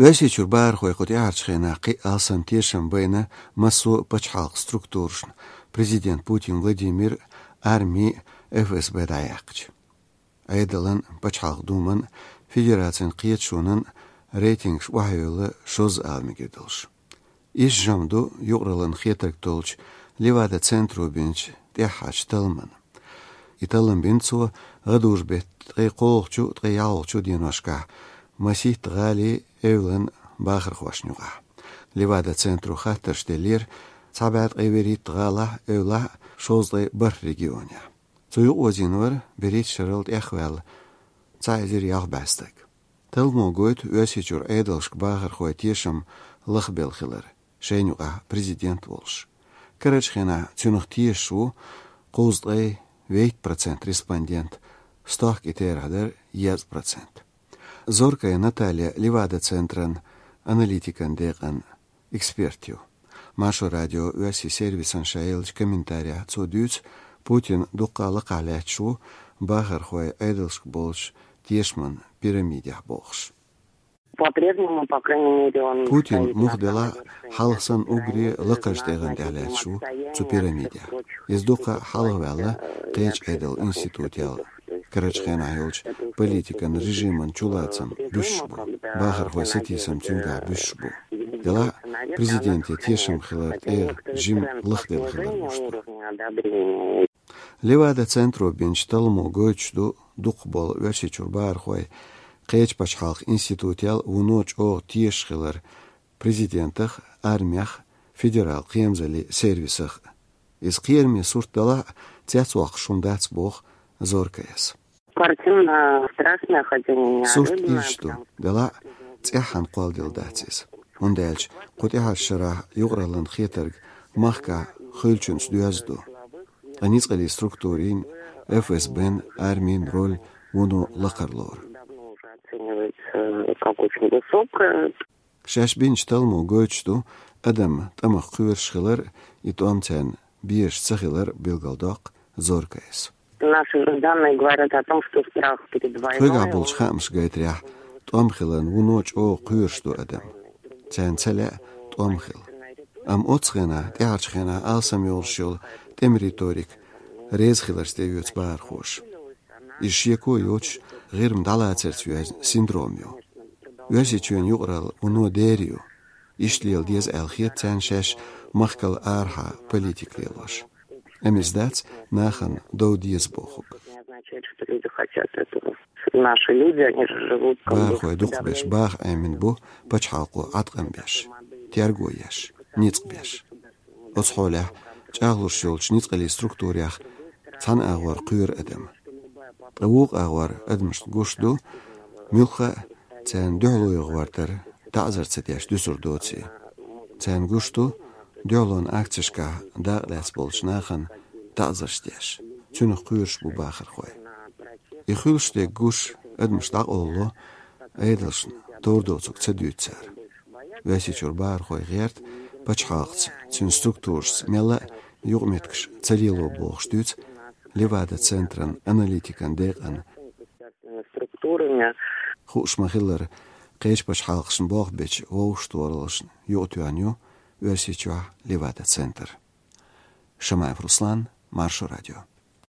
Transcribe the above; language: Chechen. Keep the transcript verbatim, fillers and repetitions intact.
Оьрсийчуьра бахархой кху тӀаьхьарчу хенахь кхин а алсам тешам байна массо а пачхьалкхан структурашна, президент Путин Владимир, арми, Ф С Б дӀаяьккхича. Ӏедалан, пачхьалкхан думан, федерацин кхеташонан рейтингаш охьайолла шозза ала мегар долуш. Иза жима ду юкъараллин хетарг толлучу Левада-центро бинчу тӀаьххьарчу талламан. И таллам бина цо гӀадужу-беттан ткъе кхоалгӀачу, ткъе ялхалгӀачу деношкахь масийтта гӀалин, эвлан бахархошна юкъахь. Левада-центро хаттарш деллера цхьа бӀе ткъе вуьрхӀитта гӀалахь, эвлахь, шовзткъе бархӀ регионехь. Цу юкъаозийна вара берхӀитта шарал тӀехваьлла цхьа эзар ялх бӀе стаг. Талламо гойту Оьрсийчуьра Ӏедалшка бахархойн тешам лахбелла хилар, шайна юкъахь президент волуш. Карарчу хенахь цуьнах тешаш ву кхузткъе вейтта процент респондент, стохка и терахь дара езткъа процент. Зоркая Наталья Левада-центран аналитикан декъан эксперт ю. Маршо радион оьрсийн сервисан ша еллачу комментарехь цо дуьйцу, Путин дуккха а лакхахь лаьтташ ву бахархойн Ӏедалшка болчу тешаман пирамидехь бохуш. По-прежнему, по крайней мере, он Путин стоит на муха самой делахь, вершине хьалха санна уггаре лакхарчу тӀегӀан тӀехь лаьтташ ву цу пирамидехь. Иза дуккха а хьалхаваьлла кхечу Ӏедалан институтел. Карарчу хенахь йолчу политикан режиман чулацам буьсуш бу, бахархойн сатийсам цуьнгахь буьсуш бу. Делахь а президентан тешам хилар тӀе жима лахделла хилар гуш ду. Левада-центро бинчу талламо гойтуш ду дукхахболу Оьрсийчуьра бахархой кхечу пачхьалкхан институтел вуно чӀогӀа тешаш хилар президентах, армех, федерал кхерамзаллин сервисах. Иза кхераме сурт далахь а, цецвоккхуш хӀума дац, боху Зоркаяс. Картина страшная, хотя не неожиданная. Сурт ирча ду, далахь а, цӀеххьана кхолладелла дац иза. ХӀунда аьлча кху тӀаьхьарчу шарахь юкъараллин хетарг махкахь хуьлучуьнца доьзна ду. Ткъа ницкъаллин структурийн, Ф С Б-н, армин роль вуно лакхара лору. Оценивается как очень высокая. Шаьш бинчу талламо гойтуш ду адам тӀамах кхоьруш хилар, и тӀом царна безаш ца хилар билгалдоккху Зоркаяс. Наши же данные говорят о том, что страх перед войной... Тхоьгахь болчу хаамаша гайтарехь, тӀом хиларна вуно чӀогӀа кхоьруш ду адам. Царна ца лаьа тӀом хила. Амма оццу хенахь, тӀаьхьарчу хенахь алсам йолуш йолу тӀеман риторика реза хиларца тӀеоьцу бахархоша. Иза шеко йоцуш, ГӀирма дӀалацарца йоьзна синдром ю. Оьрсийчоьнан юкъаралла вуно дера ю. Иштта лела деза аьлла хета царна шаьш махкал арахьа политика лелош. Амма иза дац нахана дов деза бохург. Наши люди, они же живут как бы... Бахархой дукхахберш баха Ӏемина бу пачхьалкхо Ӏаткъам беш, терго еш, ницкъ беш. Оцу хьолехь чӀагӀлуш йолчу ницкъаллин структурех цхьана агӀор кхоьру адам. Ткъа вукху агӀор адамашна гуш ду, муьлхха а царна дуьхьало йогӀу гӀортар таӀзар ца деш дуьсур доций. Царна гуш ду, дуьхьалонан акцешкахь дакъа лаьцна болчу нахана таӀзарш деш. Цуьнах кхоьруш бу бахархой. И хуьлуш дерг гуш, адамаш дӀакъовлало, Ӏедалшна товр доцург ца дуьйцу цара. Оьрсийчуьра бахархой гӀерта пачхьалкхаца, цуьнан структурашца мелла а юкъаметтигаш ца лело бохуш дуьйцу Левада-центран аналитикан декъан. Структурами. Хууш ма-хиллара, кхечу пачхьалкхашна болх бечу вовшахтохараллашна юкъатоьхна ю Оьрсийчохь Левада-центр. Шамаев Руслан, Маршо радио.